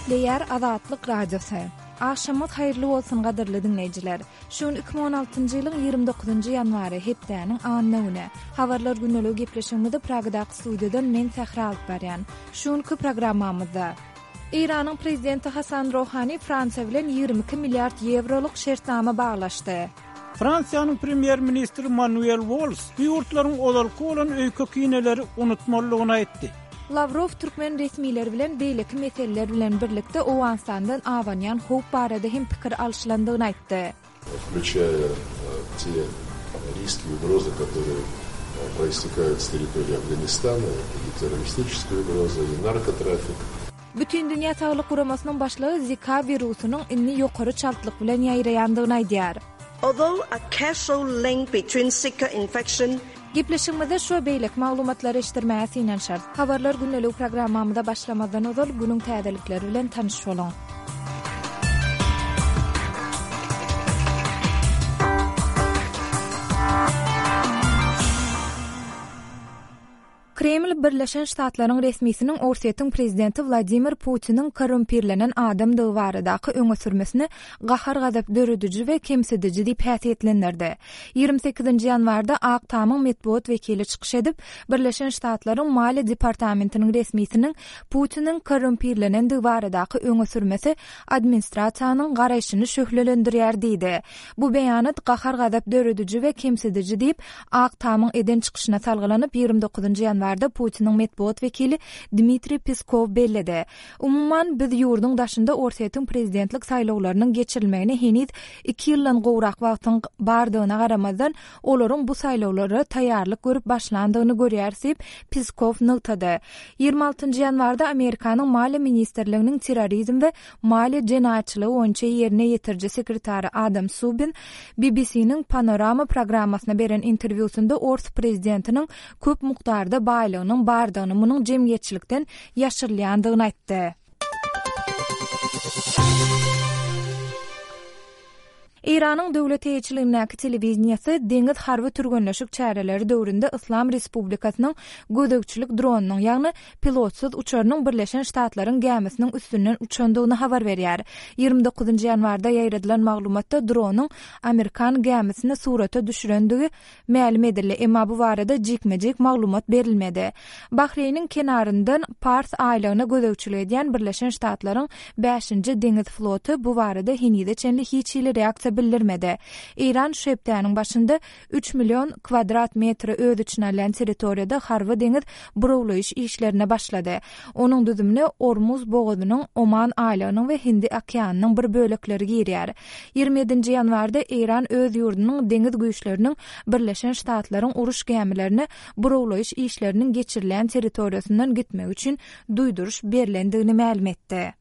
Gepleýär Azatlyk Radiosy. Agşamyňyz haýyrly bolsun gadyrly diňleýjiler. Şu gün 2016-njy ýylyň 29-njy ýanwary, hepdäniň anna güni. Habarlar gündeligi gepleşigimizi Pragadaky studiýadan men Sähra alyp barýan. Şu günki programmamyzda. Eýranyň prezidenti Hasan Rohani Fransiýa bilen 22 milliard ýewrolyk şertnama baglaşdy. Fransiýanyň premýer-ministri Manuel Walls bu ýurtlaryň ozalky bolan öýke-kineleri unutmalydygyny aýtdy. Lawrow türkmen resmileri bilen beýleki meseleler bilen birlikde Owganystandan abanýan howp barada hem pikir alşylandygyny aýtdy. Wklýuçaýa te riski i ugrozy, kotorye proistekaýut s territoriýi Afganistana, eto i terroristiçeskaýa ugroza, i narkotrafik. Bütindünýä Saglyk Guramasynyň başlygy Zika wirusynyň indi ýokary çaltlyk bilen ýaýraýandygyny aýdýar. Although a causal link between Zika infection Gepleşigimizde şu we beýleki maglumatlary eşitdirmäge synanyşarys. Habarlar gündeligi programmamyza başlamazdan ozal günüň täzelikleri bilen tanyş boluň. Kreml Birleşen Ştatlaryň resmisiniň Orsýetiň prezidenti Wladimir Putiniň korrumpirlenen adamdygy baradaky öňe sürmesini gahar-gazap dörediji we kemsidiji diýip häsiýetlendirdi. 28-nji ýanwarda Ak Tamyň metbugat wekili çykyş edip, Birleşen Ştatlaryň Maliýe departamentiniň resmisiniň Putiniň korrumpirlenendigi baradaky öňe sürmesi administrasiýanyň garaýşyny şöhlelendirýär diýdi. Bu beýanat gahar-gazap dörediji we kemsidiji diýip, Ak Tamyň eden çykyşyna salgylanyp, 29 ýanwarda Putiniň metbugat wekili Dmitriý Peskow belledi. Umuman, biz ýurduň daşynda Orsýetiň prezidentlik saýlawlarynyň geçirilmegine heniz iki ýyldan gowrak wagtyň bardygyna garamazdan, olaryň bu saýlawlara taýýarlyk görüp başlandygyny görýäris diýip, Peskow nygtady. 26 ýanwarda Amerikanyň Maliýe ministrliginiň terrorizm we Maliýe jenaýatçylygy boýunça ýerine ýetiriji sekretary Adam Subin BBC-niň Panorama programmasyna beren interwýusynda ors prezidentiniň köp mukdarda baýlygynyň bardygyny, munuň jemgyýetçilikden ýaşyrylýandygyny aýtdy. Eýranyň döwlet eýeçiligindäki telewideniýesi deňiz harby türgenleşik çäreleri döwründe Yslam Respublikasynyň gözegçilik dronynyň, ýagny pilotsyz uçarynyň Birleşen Ştatlaryň gämisiniň üstünden uçandygyny habar berýär. 29 ýanwarda ýaýradylan maglumatda dronyň amerikan gämisini surata düşürendigi mälim edildi, emma bu barada jikme-jik maglumat berilmedi. Bahreýniň kenaryndan Pars aýlagyna gözegçilik edýän Birleşen Ştatlaryň Bäşinji deňiz floty bu barada henize çenli hiç hili reaksiýa bildirmedi. Eýran şu hepdäniň başynda üç million kwadrat metri öz içine alýan territoriýada harby-deňiz burawlaýyş işlerine başlady. Onuň düzümine Ormuz bogazynyň, Oman aýlagynyň we Hindi okeanynyň bir bölekleri girýär. 27-nji ýanwarda Eýran öz ýurdunyň deňiz güýçleriniň Birleşen Ştatlaryň uruş gämilerine burawlaýyş işleriniň geçirilýän territoriýasyndan gitmegi üçin duýduryş berlendigini mälim etdi.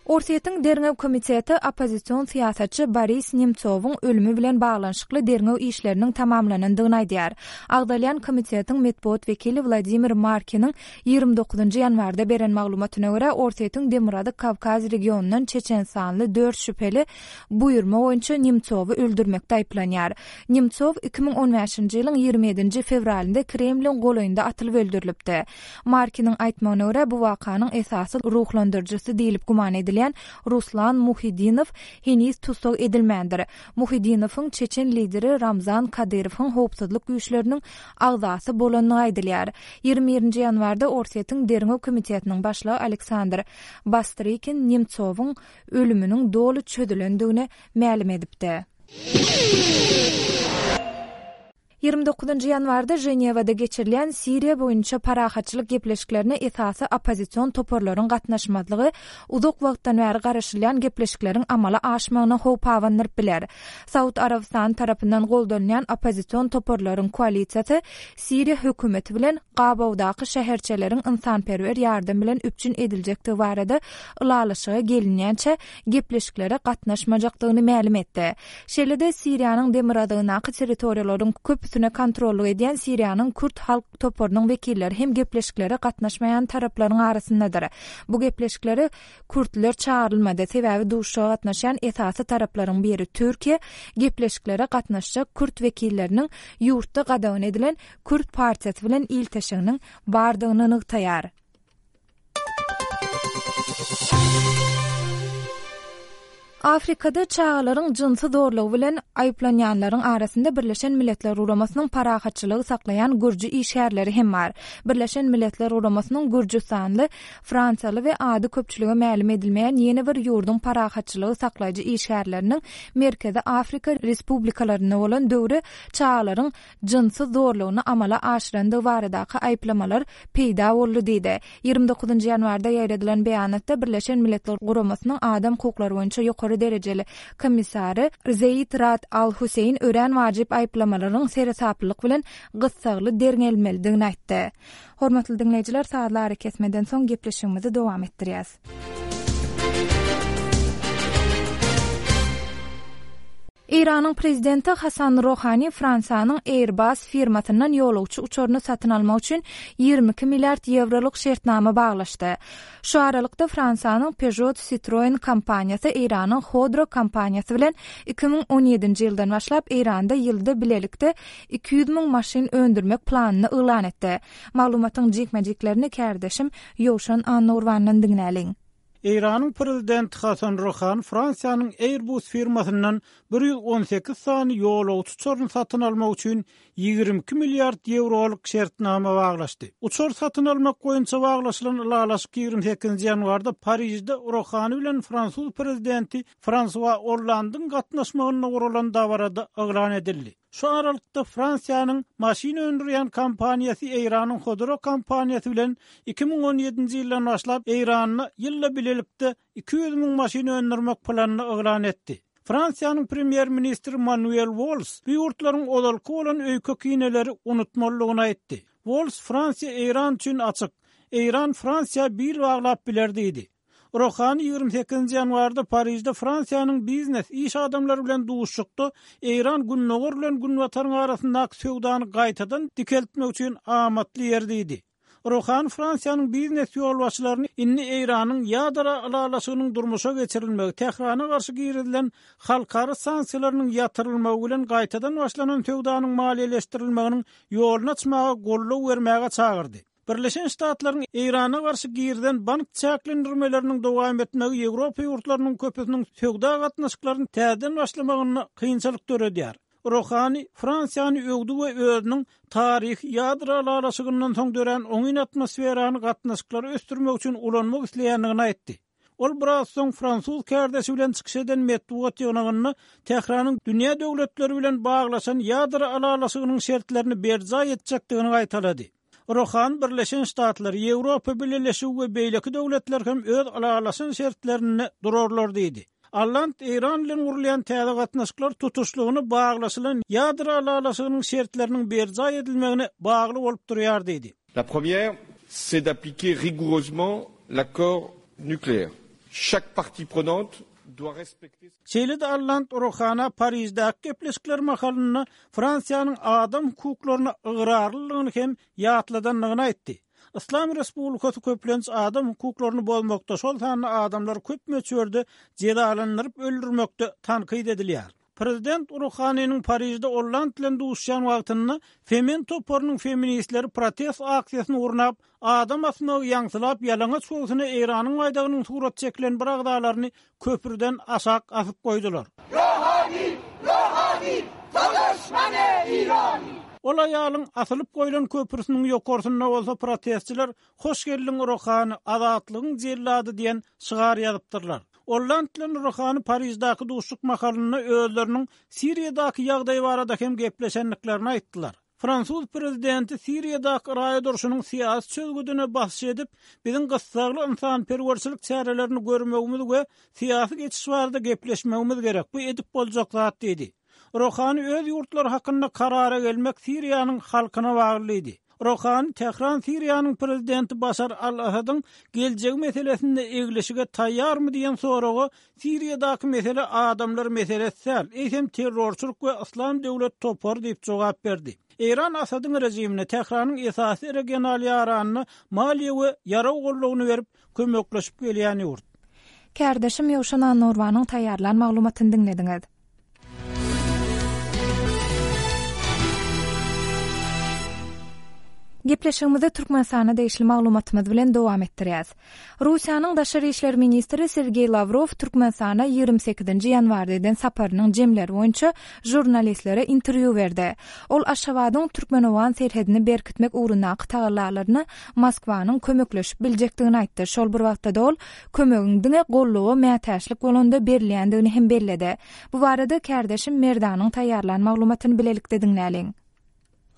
Orsýetiň Derňew komiteti oppozision syýasatçy Boris Nemtsowyň ölümi bilen baglanyşykly derňew işleriniň tamamlanandygyny aýdýar. Agzalýan komitetiň metbugat wekili Wladimir Markiniň 29 ýanwarda beren maglumatyna görä, Orsýetiň Demirgazyk Kawkaz regionyndan çeçenistanly dört şübheli buýurma boýunça Nemtsowy öldürmekde aýyplanýar. Nemtsow 2015-nji ýylyň 27-nji fewralynda Kremliň golaýynda atylyp öldürilipdi. Markiniň aýtmagyna görä, bu wakanyň esasy ruhlandyryjysy diýlip güman edilýän Ruslan Muhiddinow heniz tussag edilmändir. Muhiddinowyň çeçen lideri Ramzan Kadyrowyň howpsuzlyk güýçleriniň agzasy bolandygy aýdylýar. 21-nji ýanwarda Orsýetiň Derňew komitetiniň başlygy Aleksandr Bastrykin Nemtsowyň ölüminiň doly çözülendigini mälim edipdi. 29-njy ýanwarda Ženewada geçirilýän Siriýa boýunça parahatçylyk gepleşiklerine esasy oppozision toparlaryň gatnaşmazlygy uzak wagtdan bäri garaşylýan gepleşikleriň amala aşmagyna howp abandyryp biler. Saud Arabystany tarapyndan goldanylýan oppozision toparlaryň koalisiýasy Siriýa hökümeti bilen gabawdaky şäherçeleriň ynsanperwer ýardam bilen üpjün ediljekdigi barada ylalaşyga gelinýänçä gepleşiklere gatnaşmajakdygyny mälim etdi. Şeýle-de, Siriýanyň demirgazygyndaky territoriýalaryň köpüsinde. üstüne kontrollyk edýän Siriýanyň kürt halk toparynyň wekilleri hem gepleşiklere gatnaşmaýan taraplaryň arasyndadyr. Bu gepleşiklere kürtler çagyrylmady, sebäbi duşuşyga gatnaşýan esasy taraplaryň biri Türkiýe gepleşiklere gatnaşjak kürt wekilleriniň ýurtda gadagan edilen Kürt partiýasy bilen ilteşiginiň bardygyny nygtaýar. Afrikada çagalaryň jynsy zorlugy bilen aýyplanýanlaryň arasynda Birleşen Milletler Guramasynyň parahatçylygy saklaýan gürji işgärleri hem bar. Birleşen Milletler Guramasynyň gürjüstanly, fransiýaly we ady köpçülige mälim edilmeýän ýene bir ýurduň parahatçylygy saklaýjy işgärleriniň Merkezi Afrika Respublikalarynda bolan döwri çagalaryň jynsy zorlugyny amala aşyrandygy baradaky aýyplamalar peýda boldy diýdi. 29 ýanwarda ýaýradylan beýanatda Birleşen Milletler Guramasynyň adam hukuklary boýunça ýokary derejeli komissary Zeýid Rad Al Hüseýin örän wajyp aýyplamalaryň seresaplylyk bilen gyssagly derňelmelidigini aýtdy. Hormatly diňleýjiler, sazly arakesmeden soň gepleşigimizi dowam etdirýäs. Eýranyň prezidenti Hasan Rohani Fransiýanyň Airbus firmasyndan ýolagçy uçaryny satyn almak üçin 22 milliard ýewrolyk şertnama baglaşdy. Şu aralykda Fransiýanyň Peugeot Citroen kompaniýasy Eýranyň Khodro kompaniýasy bilen 2017-nji ýyldan başlap Eýranda ýylda bilelikde 200 müň maşyn öndürmek planyny yglan etdi. Maglumatyň jikme-jiklerini kärdeşim Ýowşan Annagurbandan diňläliň. Eýranyň prezidenti Hasan Ruhani Fransiýanyň Airbus firmasyndan 118 sany ýolagçy uçaryny satyn almak üçin 22 milliard ýewrolyk şertnama baglaşdy. Uçar satyn almak boýunça baglaşylan ylalaşyk 28-nji ýanwarda Parižde Ruhani bilen fransuz prezidenti Fransua Ollandyň gatnaşmagynda guralan dabarada yglan edildi. Şu aralykda Fransiýanyň maşyn öndürýän kompaniýasy Eýranyň Khodro kompaniýasy bilen 2017-nji ýyldan başlap Eýranda ýylda bilelikde 200 müň maşyn öndürmek planyny yglan etdi. Fransiýanyň premýer-ministri Manuel Walls bu ýurtlaryň ozalky bolan öýke-kineleri unutmalydygyny aýtdy. Walls Fransiýa Eýran üçin açyk. Eýran Fransiýa bil baglap biler diýdi. Rohani 28-nji ýanwarda Parižde Fransiýanyň biznes, iş adamlary bilen duşuşykda Eýran Gündogar bilen Günbataryň arasyndaky söwdany gaýtadan dikeltmek üçin amatly ýer diýdi. Rohani Fransiýanyň biznes ýolbaşçylaryny indi Eýranyň ýadro ylalaşygynyň durmuşa geçirilmegi, Tährana garşy girizilen halkara sanksiýalarynyň ýatyrylmagy bilen gaýtadan başlanan söwdanyň maliýeleşdirilmeginiň ýoluny açmaga goldaw bermäge çagyrdy. Birleşen Ştatlaryň Eýrana garşy girizen bank çäklendirmeleriniň dowam etmegi Ýewropa ýurtlarynyň köpüsiniň söwda gatnaşyklaryny täzeden başlamagynda kynçylyk döredýär. Rohani Fransiýany öwdi we özüniň taryhy ýadro ylalaşygyndan soň dörän oňyn atmosferany gatnaşyklary ösdürmek üçin ulanmak isleýändigini aýtdy. Ol biraz soň fransuz kärdeşi bilen çykyş eden metbugat ýygnagynda Tähranyň dünýä döwletleri bilen baglaşan ýadro ylalaşygynyň şertlerini berjaý etjekdigini gaýtalady. Rohani Birleşen Ştatlar, Ýewropa Bileleşigi we beýleki döwletler hem öz ylalaşan şertlerinde durarlar diýdi. Alland Eýran bilen gurulýan täze gatnaşyklar tutuşlygyna baglaşylan ýadro ylalaşygynyň şertleriniň berjaý edilmegine bagly bolup durýar diýdi. La première, c'est d'appliquer rigoureusement l'accord nucléaire. Chaque partie prenante doit respecter. Şeýle-de Alland Rohana Pariždäki gepleşikler mahalynda Fransiýanyň adam hukuklaryna ygrarlylygyny hem ýatladandygyny aýtdy. Yslam Respublikasy köplenç adam hukuklaryny bozmakda, şol sanda adamlary köp möçberde jezalandyryp öldürmekde tankyt edilýär. Prezident Ruhaniniň Parižde Olland bilen duşuşýan wagtynda Femen toparynyň feministleri protest aksiýasyny gurnap, adam asmagy ýaňsylap ýalaňaç göwsüne Eýranyň baýdagynyň suraty çekilen bir agzalaryny köprüden aşak asyp goýdular. Rohani! Rohani! To doşmane Irani! Ol aýalyň asylyp goýlan köprüsiniň ýokarsynda bolsa protestçiler Hoş geldiň Rohani, azatlygyň jellady diýen şygar ýazypdyrlar. Olland bilen Rohani Pariždäki duşuşyk mahalynda özleriniň Siriýadaky ýagdaý barada hem gepleşendiklerini aýtdylar. Fransuz prezidenti Siriýadaky raýat urşunyň syýasy çözgüdine basyş edip, biziň gyssagly ynsanperwerçilik çärelerini görmegimiz we syýasy geçiş barada gepleşmegimiz gerek, bu edip boljak zat diýdi. Rohani öz ýurtlary hakynda karara gelmek Siriýanyň halkyna bagly diýdi. Rohani Tähran Siriýanyň prezidenti Başar al-Asadyň geljegi meselesinde eglişige taýýarmy diýen soraga Siriýadaky mesele adamlar meselesi däl, eýsem terrorçylyk we Yslam döwlet topary diýip jogap berdi. Eýran Asadyň režimine, Tähranyň esasy regional ýaranyna maliýe we ýarag goldawyny berip, kömekleşip gelýän ýurt. Kärdeşim Ýowşan Annagurbanyň taýýarlan maglumatyny diňlediňiz. Gepleşigimizi Türkmenistana degişli maglumatymyz bilen dowam etdirýäs. Russiýanyň daşary işler ministri Sergeý Lawrow Türkmenistana 28-nji ýanwarda eden saparynyň jemleri boýunça žurnalistlere interwýu berdi. Ol Aşgabadyň türkmen-owgan serhedini berkitmek ugrundaky tagallalaryna Moskwanyň kömekleşip biljekdigini aýtdy. Şol bir wagtda-da ol kömegiň diňe goldawa mätäçlik bolanda berilýändigini hem belledi. Bu barada kärdeşim Merdanyň taýýarlan maglumatyny bilelikde diňläliň.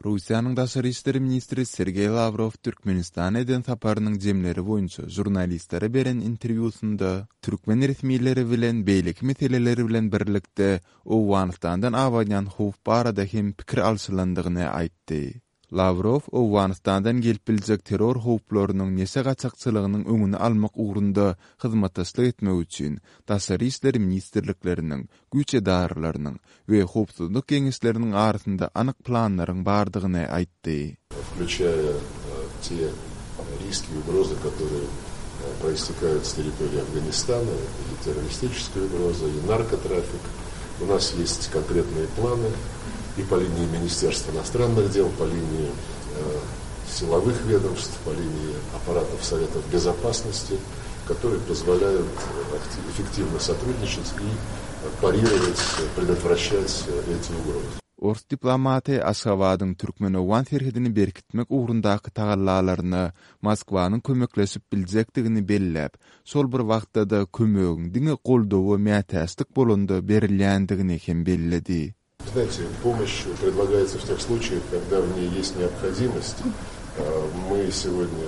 Russiýanyň daşary işler ministri Sergeý Lawrow Türkmenistana eden saparynyň jemleri boýunça žurnalistlere beren interwýusynda türkmen resmileri bilen beýleki meseleler bilen birlikde Owganystandan abanýan howp barada hem pikir alşylandygyny aýtdy. Lawrow Owganystandan gelip biljek terror howplarynyň neşe gaçakçylygynyň öňüni almak ugrunda hyzmatdaşlyk etmek üçin Daşary işler ministrlikleriniň, güýç edaralarynyň we howpsuzlyk geňeşleriniň arasynda anyk planlaryň bardygyny aýtdy. Включая те риски и угрозы, которые проистекают с территории Афганистана, и террористическая угроза, и наркотрафик. У нас есть конкретные планы и по линии Министерства иностранных дел, по линии э, силовых ведомств, по линии аппаратов Советов Безопасности, которые позволяют эффективно сотрудничать и парировать, предотвращать эти угрозы. Ors diplomaty Aşgabadyň türkmen-owgan serhedini berkitmek ugrundaky tagallalaryna Moskwanyň kömekleşip biljekdigini belläp, şol bir wagtda-da kömegiň diňe goldawa mätäçlik bolanda berilýändigini hem belledi. Знаете, помощь предлагается в тех случаях, когда в ней есть необходимость. Мы сегодня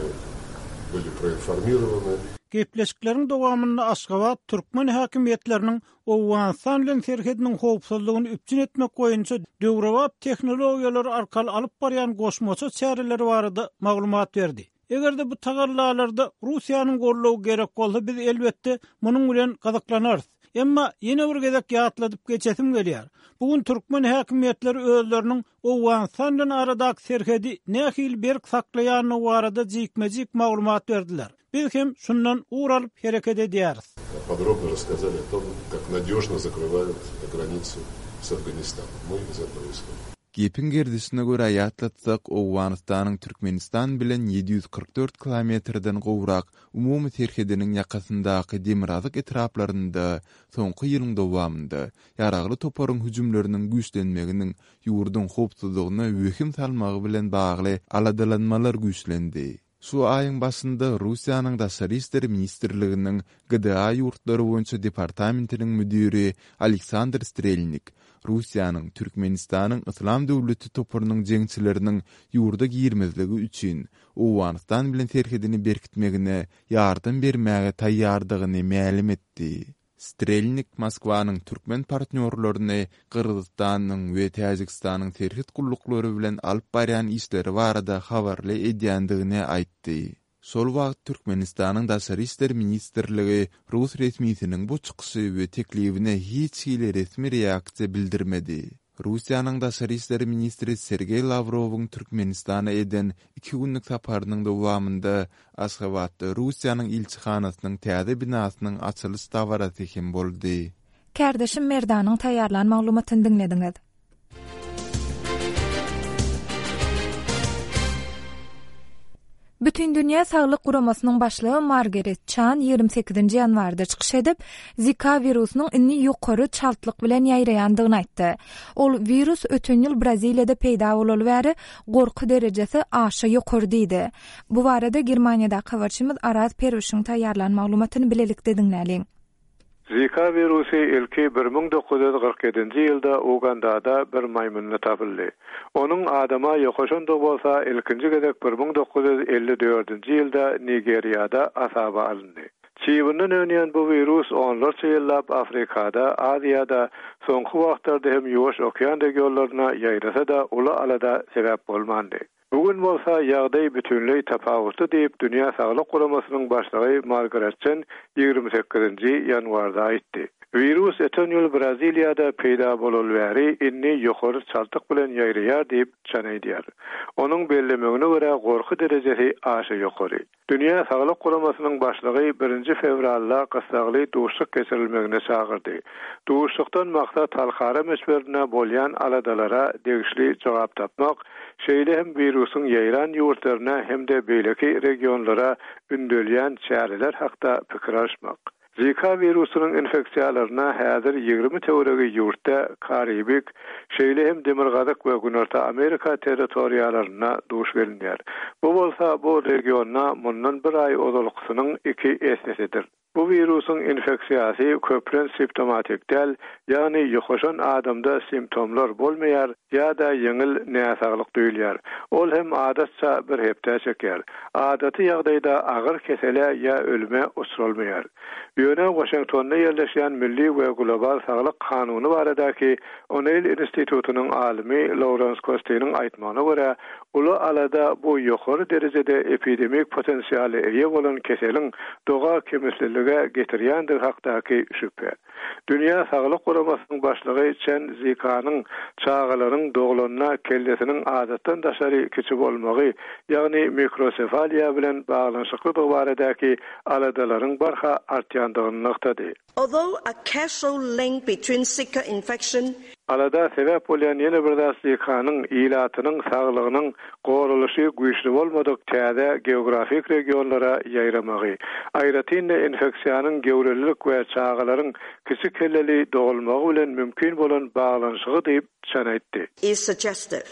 были проинформированы. Gepleşikleriň dowamynda Aşgabat türkmen häkimiýetleriniň Owganystan bilen serhediniň howpsuzlygyny üpjün etmek boýunça döwrebap tehnologiýalar arkaly alyp barýan goşmaça çäreleri barada maglumat berdi. Eger-de bu tagallalarda Russiýanyň goldawy gerek bolsa, biz, elbetde, munuň bilen gyzyklanarys. Emma ýene bir gezek ýatladyp geçesim gelýär, bu gün türkmen häkimiýetleri özleriniň Owganystan bilen aradaky serhedi nähili berk saklaýandygy barada jikme-jik maglumat berdiler. Biz hem şundan ugur alyp hereket edýäris. Podrobno rasskazali o tom, kak nadýožno zakrywaýut granicu s Afganistanom. My iz etogo ishodim. Gepiň gerdişine görä ýatlatsak, Owganystanyň Türkmenistan bilen 744 kilometrden gowrak umumy serhediniň ýakasyndaky demirgazyk etraplarynda soňky ýylyň dowamynda ýaragly toparyň hüjümleriniň güýçlenmeginiň ýurduň howpsuzlygyna wehim salmagy bilen bagly aladalanmalar güýçlendi. Şu aýyň başynda Russiýanyň Daşary işler ministrliginiň GDA ýurtlary boýunça departamentiniň müdiri Aleksandr Strelnik Russiýanyň Türkmenistanyň Yslam döwleti toparynyň jeňçileriniň ýurda girmezligi üçin Owganystan bilen serhedini berkitmegine ýardam bermäge taýýardygyny mälim etdi. Strelnik Moskwanyň türkmen partnýorlaryny Gyrgyzystanyň we Täjigistanyň serhet gulluklary bilen alyp barýan işleri barada habarly edýändigini aýtdy. Şol wagt Türkmenistanyň Daşary işler ministrligi rus resmisiniň bu çykyşy we teklibine hiç hili resmi reaksiýa bildirmedi. Russiýanyň daşary işler ministri Sergeý Lawrowyň Türkmenistana eden iki günlük saparynyň dowamynda Aşgabatda Russiýanyň ilçihanasynyň täze binasynyň açylyş dabarasy hem boldy. Kärdeşim Merdanyň taýýarlan maglumatyny diňlediňiz. Bütindünýä saglyk guramasynyň başlygy Margaret Çan 28-nji ýanwarda çykyş edip, Zika wirusynyň indi ýokary çaltlyk bilen ýaýraýandygyny aýtdy. Ol wirus öten ýyl Braziliýada peýda bolaly bäri gorky derejesi aşa ýokary diýdi. Bu barada Germaniýadaky habarçymyz Araz Perwişiň taýýarlan maglumatyny bilelikde diňläliň. Zika wirusy ilki 1947-nji ýylda Ugandada bir maýmynda tapyldy. Onuň adama ýokaşandygy bolsa ilkinji gezek 1954-nji ýylda Nigeriýada hasaba alyndy. Çybyndan önýän bu wirus onlarça ýyllap Afrikada, Aziýada, soňky wagtlarda hem Ýuwaş okean regionlaryna ýaýrasa-da uly alada sebäp bolmandy. Bu gün bolsa ýagdaý bütinleý tapawutly diýip, Dünýä Saglyk Guramasynyň başlygy Margaret Çen 28-nji ýanwarda aýtdy. Wirus öten ýyl Braziliýada peýda bolaly bäri indi ýokary çaltlyk bilen ýaýraýar diýip, Çen aýdýar. Onuň bellemegine görä, gorky derejesi aşa ýokary. Dünýä Saglyk Guramasynyň başlygy birinji fewralda gyssagly duşuşyk geçirilmegine çagyrdy. Duşuşykdan maksat halkara möçberinde bolýan aladalara degişli jogap tapmak, şeýle hem wirusyň ýaýran ýurtlaryna hem-de beýleki regionlara ündelýän çäreler hakda pikir alyşmak. Zika wirusynyň infeksiýalaryna häzir 20 töweregi ýurtda, Karibik, şeýle hem Demirgazyk we Günorta Amerika territoriýalarynda duş gelinýär. Bu bolsa bu regionda mundan bir aý ozalkysynyň iki essesidir. Bu wirusyň infeksiýasy köplenç simptomatik däl, ýagny ýokaşan adamda simptomlar bolmaýar ýa-da ýeňil näsaglyk duýulýar. Ol hem adatça bir hepdä çekýär. Adaty ýagdaýda agyr kesele ýa ölüme uçralmaýar. Ýöne Waşingtonda ýerleşýän Milli we global saglyk kanuny baradaky O'Neil institutynyň alymy Lawrens Kostiniň aýtmagyna görä, Uly alada bu ýokary derejede epidemik potensiala eýe bolan keseliň doga kemislilige getirýändigi hakdaky şübhe. Dünýä Saglyk Guramasynyň başlygy Çen Zikanyň çagalaryň doglanda kellesiniň adatdan daşary kiçi bolmagy, ýagny mikrosefaliýa bilen baglanyşyklydygy baradaky aladalaryň barha artýandygyny nygtady. Although a causal link between Zika infection. Alada sebäp bolýan ýene bir zat Zikanyň ilatynyň saglygynyň goralyşy güýçli bolmadyk täze geografik regionlara ýaýramagy. Aýratyn-da infeksiýanyň göwrelilik we çagalaryň kiçi kelleli dogulmagy bilen mümkin bolan baglanyşygy diýip, Çen aýtdy. Is suggestive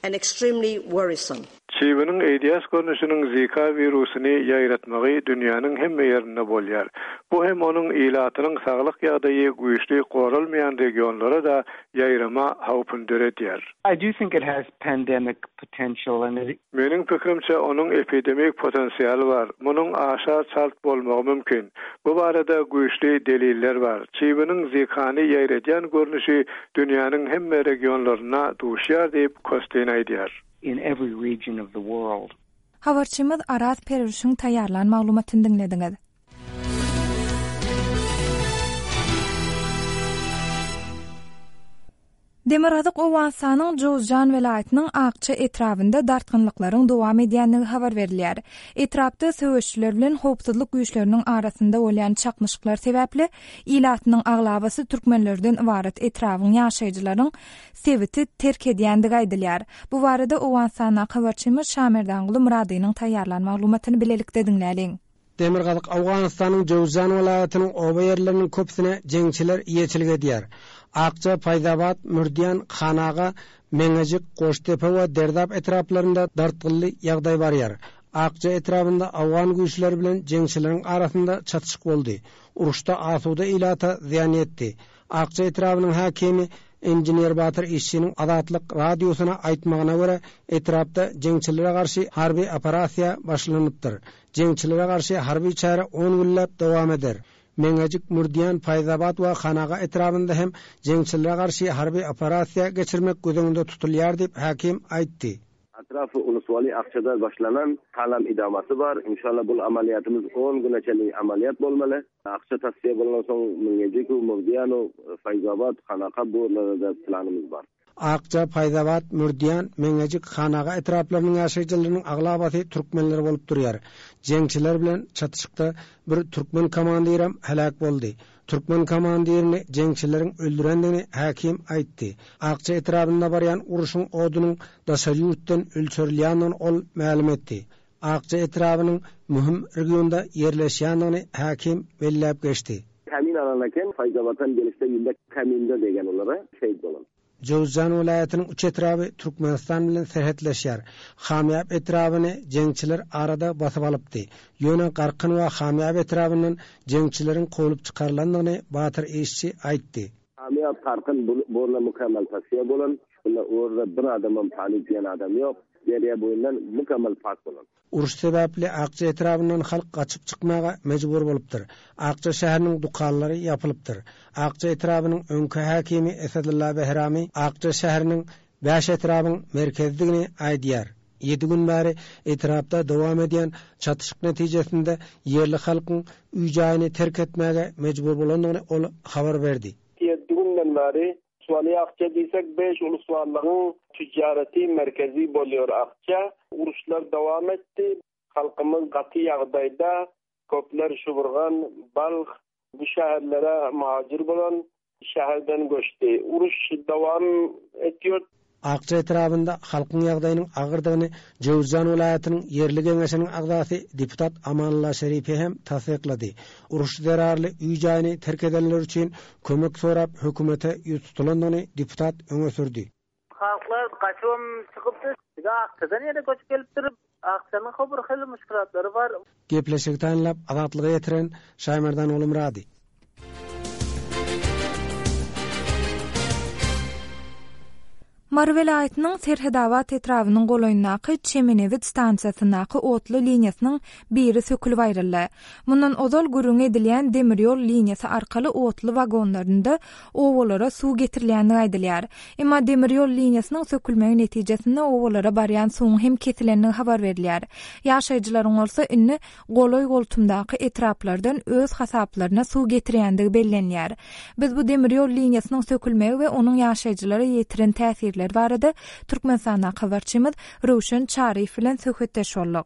and extremely worrisome. Çybynyň AIDS görnüşiniň Zika wirusyny ýaýratmagy dünýäniň hemme ýerinde bolýar. Bu hem onuň ilatynyň saglyk ýagdaýy güýçli goralmaýan regionlara-da ýaýrama howpuny döredýär. I do think it has pandemic potential and it. Meniň pikirimçe, onuň epidemik potensialy bar. Munuň aşa çalt bolmagy mümkin. Bu barada güýçli deliller bar. Çybynyň Zikany ýaýradýan görnüşi dünýäniň hemme regionlarynda duşýar diýip, Kostin aýdýar. in every region of the world. Habarçymyz Araz Perwişiň taýýarlan maglumatyny diňlediňiz. Demirgazyk Owganystanyň Jowzjan welaýatynyň Akça etrabynda dartgynlyklaryň dowam edýändigi habar berilýär. Etrapda söweşijiler bilen howpsuzlyk güýçleriniň arasynda bolýan çaknyşyklar sebäpli ilatynyň aglabasy türkmenlerden ybarat etrabyň ýaşaýjylaryň sebiti terk edýändigi aýdylýar. Bu barada Owganystandaky habarçymyz Şamerdanguly Myradynyň taýýarlan maglumatyny bilelikde diňläliň. Demirgazyk Owganystanyň Jöwzjan welaýatynyň oba ýerleriniň köpüsine jeňçiler eýeçilik edýär. Akja, Paýzabat, Mürdiýan, Hanaga, Meňejik, Goşdepe we Derdap etraplarynda dartgynly ýagdaý barýar. Akja etrabynda owgan güýçleri bilen jeňçileriň arasynda çatyşyk boldy. Uruşda asuda ilata zyýan ýetdi. Akja etrabynyň häkimi inžener Batyr Işçiniň Azatlyk Radiosyna aýtmagyna görä, etrapda jeňçilere garşy harby operasiýa başlanypdyr. Jeňçilere garşy harby çäre on günläp dowam eder. Meňejik, Mürdiýan, Paýzabat we Hanaga etrabynda hem jeňçilere garşy harby operasiýa geçirmek göz öňünde tutulýar diýip, häkim aýtdy. Atrafy Uluswaly Akçada başlanan halam idamasy bar. Inşallah bul amaliyatymyz on güne çenli amaliyat bolmaly. Akça tasfiýe bolandan soň Mingejikow, Murdiýanow, Faýzabat, Hanaka bu ýerlerde-de planymyz bar. Akja, Paýzabat, Mürdiýan, Meňejik, Hanaga etraplarynyň ýaşaýjylarynyň aglabasy türkmenler bolup durýar. Jeňçiler bilen çatyşykda bir türkmen komandirem heläk boldy. Türkmen komandirini jeňçileriň öldürendigini häkim aýtdy. Akja etrabynda barýan urşuň odunyň daşary ýurtdan ölçerilýändigini ol mälim etdi. Akja etrabynyň möhüm regionda ýerleşýändigini häkim belläp geçdi. Kamin alan eken, Faýzabatan gelişde ýüllek kaminde degen olara şehit bolan. Jöwüzjan welaýatynyň üç etraby Türkmenistan bilen serhetleşýär. Hamyýap etrabyny jeňçiler arada basyp alypdy. Ýöne Garkyn we Hamyýap etrabyndan jeňçileriň kowlup çykarylandygyny Batyr Işçi aýtdy. Hamyýap, Garkyn bu orna mukemmel tasfiýa bolan. Şunda orda bir adamam talyp diýen adam ýok. Derýa boýundan mukemmel pak bolan. Uruş sebäpli Akja etrabyndan halk gaçyp çykmaga mejbur bolupdyr. Akja şäheriniň dükanlary ýapylypdyr. Akja etrabynyň öňki häkimi Esedulla Behrami Akja şäheriniň bäş etrabyň merkezidigini aýdýar. Ýedi gün bäri etrapda dowam edýän çatyşyk netijesinde ýerli halkyň öý-jaýyny terk etmäge mejbur bolandygyny ol habar berdi. Ýedi günden bäri Suwaly Akja diýsek beş ulusballygyň tüjjareti merkezi bolýar Akja. Uruşlar dowam etdi. Halkymyz gaty ýagdaýda. Köpler Şuburgan, Balh bu şäherlere muhajir bolan şäherden göçdi. Uruş dowam etýär. Akja etrabynda halkyň ýagdaýynyň agyrdygyny Jöwüzjan welaýatynyň ýerli geňeşiniň agzasy deputat Amanullah Şerifi hem tassyklady. Uruş zerarly öý-jaýyny terk edenler üçin kömek sorap hökümete ýüz tutulandygyny deputat öňe sürdi. Halklar gaçybam çykypdyr. Bize Akjadan ýene göçüp gelipdir. Akjanyň bir hili muşkulatlary bar. Gepleşigi taýynlap Azatlyga ýetiren Şaýmerdan Gulumyrady. Mary welaýatynyň Serhedabat etrabynyň golaýyndaky Çemenebit stansiýasyndaky otly liniýasynyň biri sökülip aýryldy. Mundan ozal gürrüňi edilýän demir ýol liniýasy arkaly otly wagonlarynda obalara suw getirilýändigi aýdylýar. Emma demir ýol liniýasynyň sökülmegi netijesinde obalara barýan suwuň hem kesilendigi habar berilýär. Ýaşaýjylaryň bolsa indi golaý-goltumdaky etraplardan öz hasaplaryna suw getirýändigi bellenýär. Biz bu demir ýol liniýasynyň sökülmegi we onuň ýaşaýjylara ýetiren täsirleri barada Türkmenistandaky habarçymyz Röwşen Çaryýew bilen söhbetdeş bolduk.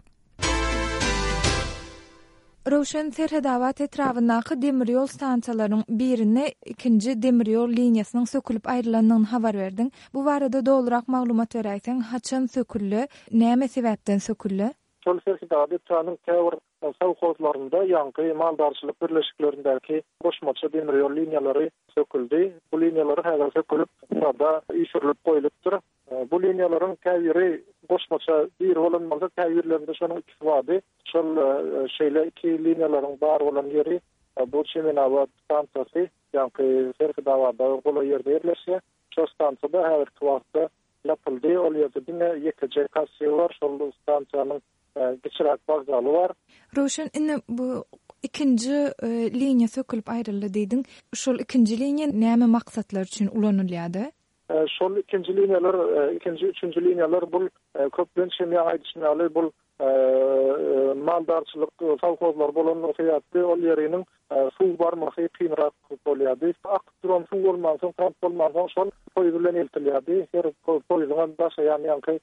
Röwşen, Serhedabat etrabyndaky demir ýol stansiýalarynyň birinde ikinji demir ýol liniýasynyň sökülip aýrylandygyny habar berdiň. Bu barada dolurak maglumat beräýseň, haçan söküldi, näme sebäpden söküldi? Şol Serhetabat etrabynyň käbir sowhozlarynda ýaňky maldarçylyk birleşiklerindäki goşmaça demir ýol liniýalary söküldi. Bu liniýalar häzir sökülip, sada üýşürilip goýlupdyr. Bu liniýalaryň käbiri goşmaça biri bolan bolsa, käbirlerinde şonuň ikisi bardy. Şol şeýle iki liniýalaryň bar bolan ýeri bu Çemenabat stansiýasy, ýaňky Serhedabada golaý ýerde ýerleşýär. Şol stansiýada häzirki wagtda Ýapyldy. Ol ýerde diňe ýekeje kassir bar. Şol stansiýanyň kiçiräk wokzaly bar. Röwşen, indi bu ikinji liniýa sökülip aýryldy diýdiň. Şol ikinji liniýa näme maksatlar üçin ulanylýardy? Şol ikinji liniýalar, ikinji, üçünji liniýalar bul köplenç hem ýaňy aýdyşym ýaly bul maldarçylyk sowhozlary bolanlygy sebäpli ol ýeriniň suw barmasy kynrak bolýardy. Akyp duran suw bolmansoň, tank bolmansoň şol poýuz bilen eltilýärdi. Her poýuzyňam daşaýan ýaňky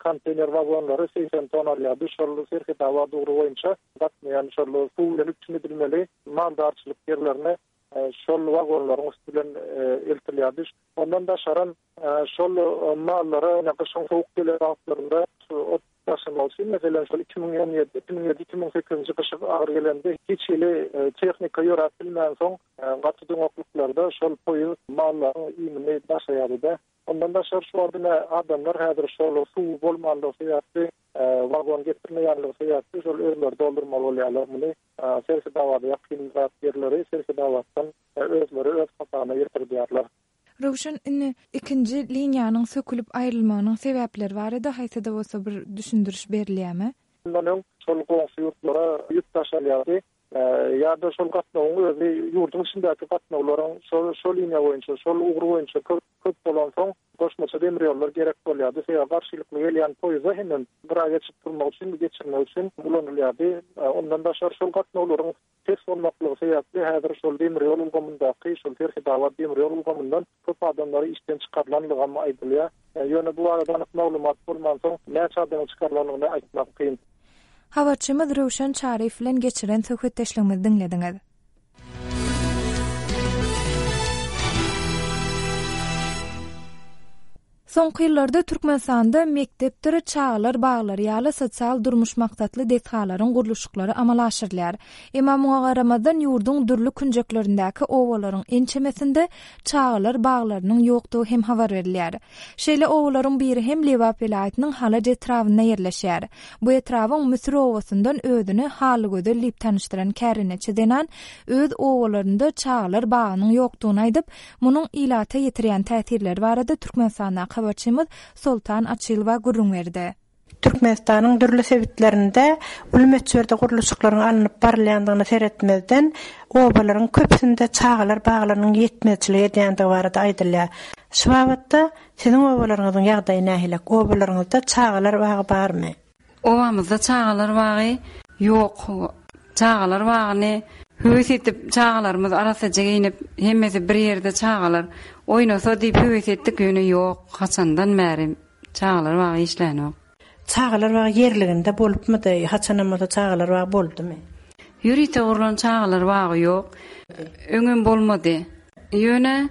konteýner wagonlary 80 ton alýardy. Şol Serhetabat ugry boýunça gatnaýan şol suw bilen üpjün edilmeli maldarçylyk ýerlerine şol wagonlaryň üsti bilen eltilýärdi. Ondan daşaram şol mallara ine gyşyň sowuk gelen wagtlarynda ot daşamak üçin, meselem, şol 2017, 2007, 2008-nji gyşy agyr gelende hiç hili tehnika ýöräp bilmänsoň, gaty doňaklyklarda şol poýuz mallaryň iýmini daşaýardy-da. Ondan daşary şu wagt ine adamlar häzir şol suw bolmanlygy sebäpli, wagon getirmeýänligi sebäpli şol özleri doldurmaly bolýarlar muny. Serhedabada ýakynrak ýerleri Serhedabatdan özleri öz hasabyna ýetirdýärler. Röwşen, indi ikinji liniýanyň sökülip aýrylmagynyň sebäpleri barada haýsy-da bolsa bir düşündiriş berilýärmi? Mundan öň şol goňşy ýurtlara ýük daşalýardy. Ýa-da şol gatnawyň özi ýurduň içindäki gatnawlaryň şol şol liniýa boýunça, şol ugur boýunça köp köp bolansoň, goşmaça demir ýollar gerek bolýardy. Sebäbi garşylykly gelýän poýeza hemem gyra geçip durmak üçin, geçirmek üçin ulanylýardy. Ondan daşary şol gatnawlaryň pes bolmaklygy sebäpli häzir şol demir ýol ulgamyndaky, şol Serhetabat demir ýol ulgamyndan köp adamlary işden çykarylanlygam aýdylýar. Ýöne bu barada anyk maglumat bolmansoň, näçe adamyň çykarylanlygyny aýtmak kyn. Habarçymyz Röwşen Çaryýew bilen geçiren söhbetdeşligimizi diňlediňiz. Soňky ýyllarda Türkmenistanda mekdepdir çagalar baglary ýaly sosial-durmuş maksatly desgalaryň gurluşyklary amala aşyrylýar. Emma muňa garamazdan, ýurduň dürli künjeklerindäki obalaryň ençemesinde çagalar baglarynyň ýokdugy hem habar berilýär. Şeýle obalaryň biri hem Lebap welaýatynyň Halaç etrabynda ýerleşýär. Bu etrabyň Müsür obasyndan özüni Halygözel diýip tanyşdyran kärendeçi zenan öz obalarynda çagalar bagynyň ýokdugyny aýdyp, munuň ilata ýetirýän täsirleri barada Türkmenistandaky habarçymyz Soltan Açylowa gürrüň berdi. Türkmenistanyň dürli sebitlerinde uly möçberde gurluşyklaryň alnyp barylýandygyna seretmezden, obalaryň köpüsinde çagalar baglarynyň ýetmezçilik edýändigi barada aýdylýar. Şu babatda siziň obalaryňyzyň ýagdaýy nähili? Obalaryňyzda çagalar bagy barmy? Obamyzda çagalar bagy ýok. Çagalar bagyny höwes edip, çagalarymyz arassaja geýnip, hemmesi bir ýerde çagalar oýnasa diýip höwes etdik, ýöne ýok, haçandan bäri Çagalar bagy işlänok. Çagalar bagy ýerliginde bolupmydy? Haçanam bolsa çagalar bagy boldumy? Ýörite gurlan çagalar bagy ýok. Öňem bolmady. Ýöne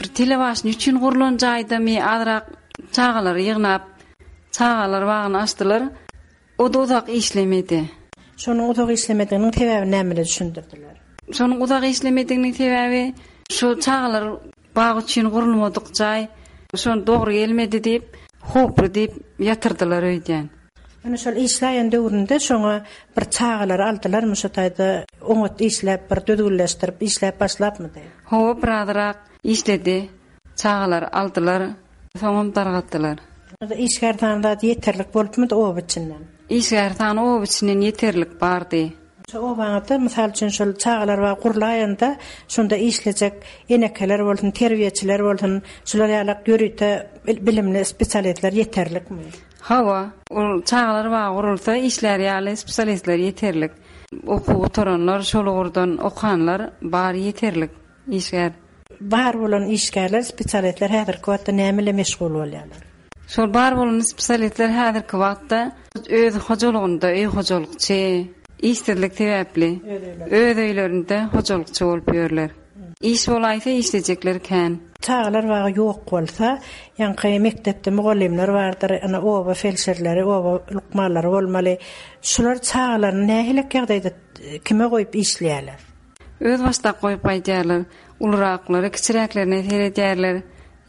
bir telebaşny üçin gurlan jaýdamy azrak çagalary ýygnap çagalar bagyny açdylar. O-da uzak işlemedi. Şonuň uzak işlemediginiň sebäbini nämede düşündirdiler? Şonuň uzak işlemediginiň sebäbi şu çagalar bagy üçin gurulmadyk jaý şony dogry gelmedi diýip, howply diýip ýatyrdylar öýdýän. Ýöne şol işläýen döwründe şoňa bir çagalary aldylarmy şo taýda oňat işläp bir düzgünleşdirip işläp başlapmydy? Hawa birazrak işledi. Çagalary aldylar, soňam dargatdylar. Işgär sany zat ýeterlik bolupmydy oba içinden? Işgär sany oba içinden ýeterlik bardy. Şo obaňyzda, mysal üçin, şol çagalar bagy gurlaýanda, şonda işlejek enekeler bolsun, terbiýeçiler bolsun, şular ýalak ýörite bilimli spesialistler ýeterlikmi? Hawa, ol çagalar bagy gurulsa, işlär ýaly spesialistler ýeterlik. Okuw gutaranlar, şol ugurdan okanlar bar ýeterlik işgär. Bar bolan işgärler, spesialistler häzirki wagtda näme bilen meşgul bolýarlar? Şol bar bolan spesialistler häzirki wagtda öz hojalygynda öý hojalykçy, işsizlik sebäpli öz öýlerinde hojalykçy bolup ýörler. Iş bolaýsa işlejekler kän. Çagalar bagy ýok bolsa, ýaňky mekdepde mugallymlar bardyr, ine oba felşerleri, oba lukmanlary bolmaly. Şular çagalaryny nähilek ýagdaýda kime goýup işleýärler? Özbaşdak goýup gaýdýarlar. Uluraklary kiçiräklerine seredýärler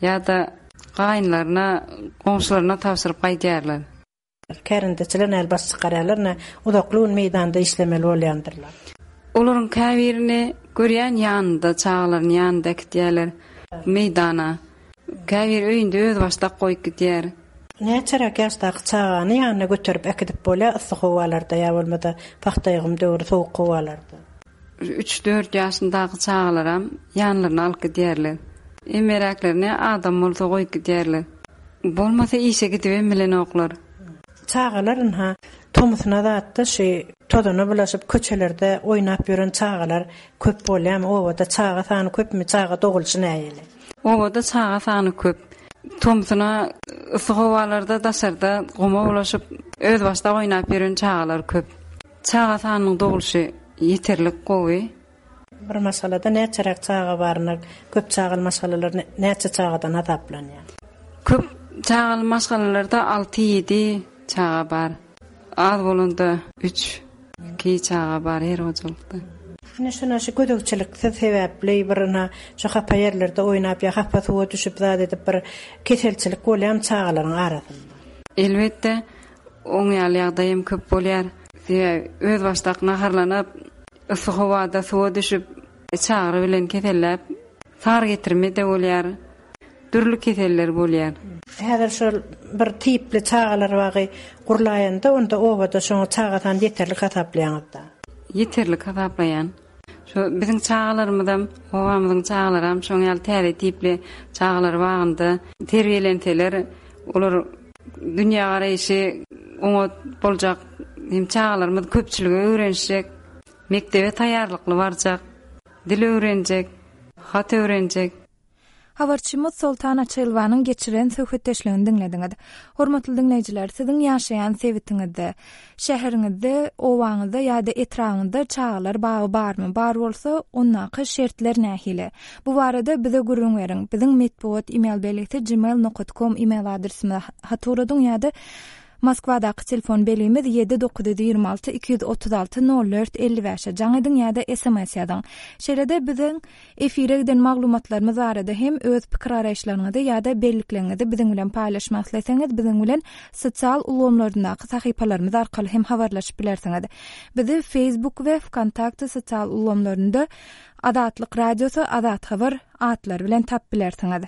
ýa-da gaýynlaryna, goňşularyna tabşyryp gaýdýarlar. Kärendeçiler näl baş çykarýarlar, nä uzakly gün meýdanda işlemeli bolýandyrlar. Olaryň käbirini görýän ýanynda, çagalaryny ýanynda äkidýärler meýdana. Käbiri öýünde özbaşdak goýup gidýär. Näçeräk ýaşdaky çagany ýanyna göterip äkidip bolýar yssy howalarda ýa bolmasa pagta ýygym döwri sowuk howalarda? Üç-dört ýaşyndaky çagalaram ýanlaryna alyp gidýärler. Emmeräklerini adam bolsa goýup gidýärler. Bolmasa işe gidibem bilenoklar. Çagalar ynha, tomusuna zatda şu tozana bulaşyp köçelerde oýnap ýören çagalar köp bolýarmy? Obada çaga sany köpmi? Çaga dogulyşy nähili? Obada çaga sany köp. Tomsuna yssy howalarda daşarda guma bulaşyp, özbaşdak oýnap ýören çagalar köp. Çaga sanynyň dogulyşy ýeterlik gowy. Bir maşgalada näçeräk çaga baryna köp çagaly maşgalalar näçe çagadan hasaplanýar? Köp çagaly maşgalalarda alty-ýedi çaga bar. Az bolanda üç, iki çaga bar her hojalykda. Ine şuna şu gözegçiliksiz sebäpli bir ina şu hapa ýerlerde oýnap ýa hapa suwa düşüp zat edip bir keselçilik bolýarmy çagalaryň arasynda? Elbetde, oň ýaly ýagdaý hem köp bolýar. Sebäbi özbaşdak naharlanyp, yssy howada suwa düşüp, içagyry bilen keselläp, sary getirme-de bolýar. Dürli keseller bolýar. Häzir şol bir tipli çagalar bagy gurlaýanda onda obada şoňa çaga sany ýeterlik hasaplaýaňyzda? Ýeterlik hasaplaýan. Şo biziň çagalarymyzam, obamyzyň çagalaram şoň ýaly täze tipli çagalar bagynda terbiýelenseler, olar dünýägaraýşy oňat boljak, hem çagalarymyz köpçülige öwrenişjek, mekdebe taýýarlykly barjak, dil öwrenjek, hat öwrenjek. Habarçymyz Soltan Açylowanyň geçiren söhbetdeşligini diňlediňiz. Hormatly diňleýjiler, siziň ýaşaýan sebitiňizde, şäheriňizde, obaňyzda ýa-da etrabyňyzda çagalar bagy barmy? Bar bolsa, ondaky şertler nähili? Bu barada bize gürrüň beriň. Biziň metbugat email belgisi gmail nokat kom email adresimize hat ugradyň ýa-da Moskwadaky telefon belgimiz ýedi 926 236 04 55-e jaň ediň ýa-da sms ýazyň. Şeýle-de biziň Efire giden maglumatlarymyz barada hem öz pikir-garaýyşlaryňyzy ýa-da bellikleriňizi biziň bilen paýlaşmak isleseňiz, biziň bilen sosial ulgamlaryndaky sahypalarymyz arkaly hem habarlaşyp bilersiňiz. Bizi Facebook we Wkontakte sosial ulgamlarynda Azatlyk Radiosy, Azat Habar atlary bilen tapyp bilersiňiz.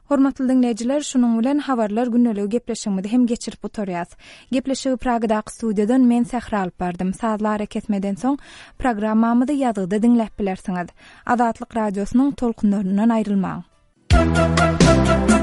Hormatly diňleýjiler, şunuň bilen Habarlar gündeligi gepleşigimizi hem geçirip gutarýas. Gepleşigi Pragadaky studiýadan men Sähra alyp bardym. Sazly arakesmeden soň programmamyzy ýazgyda diňläp bilersiňiz. Azatlyk Radiosynyň tolkunlaryndan aýrylmaň.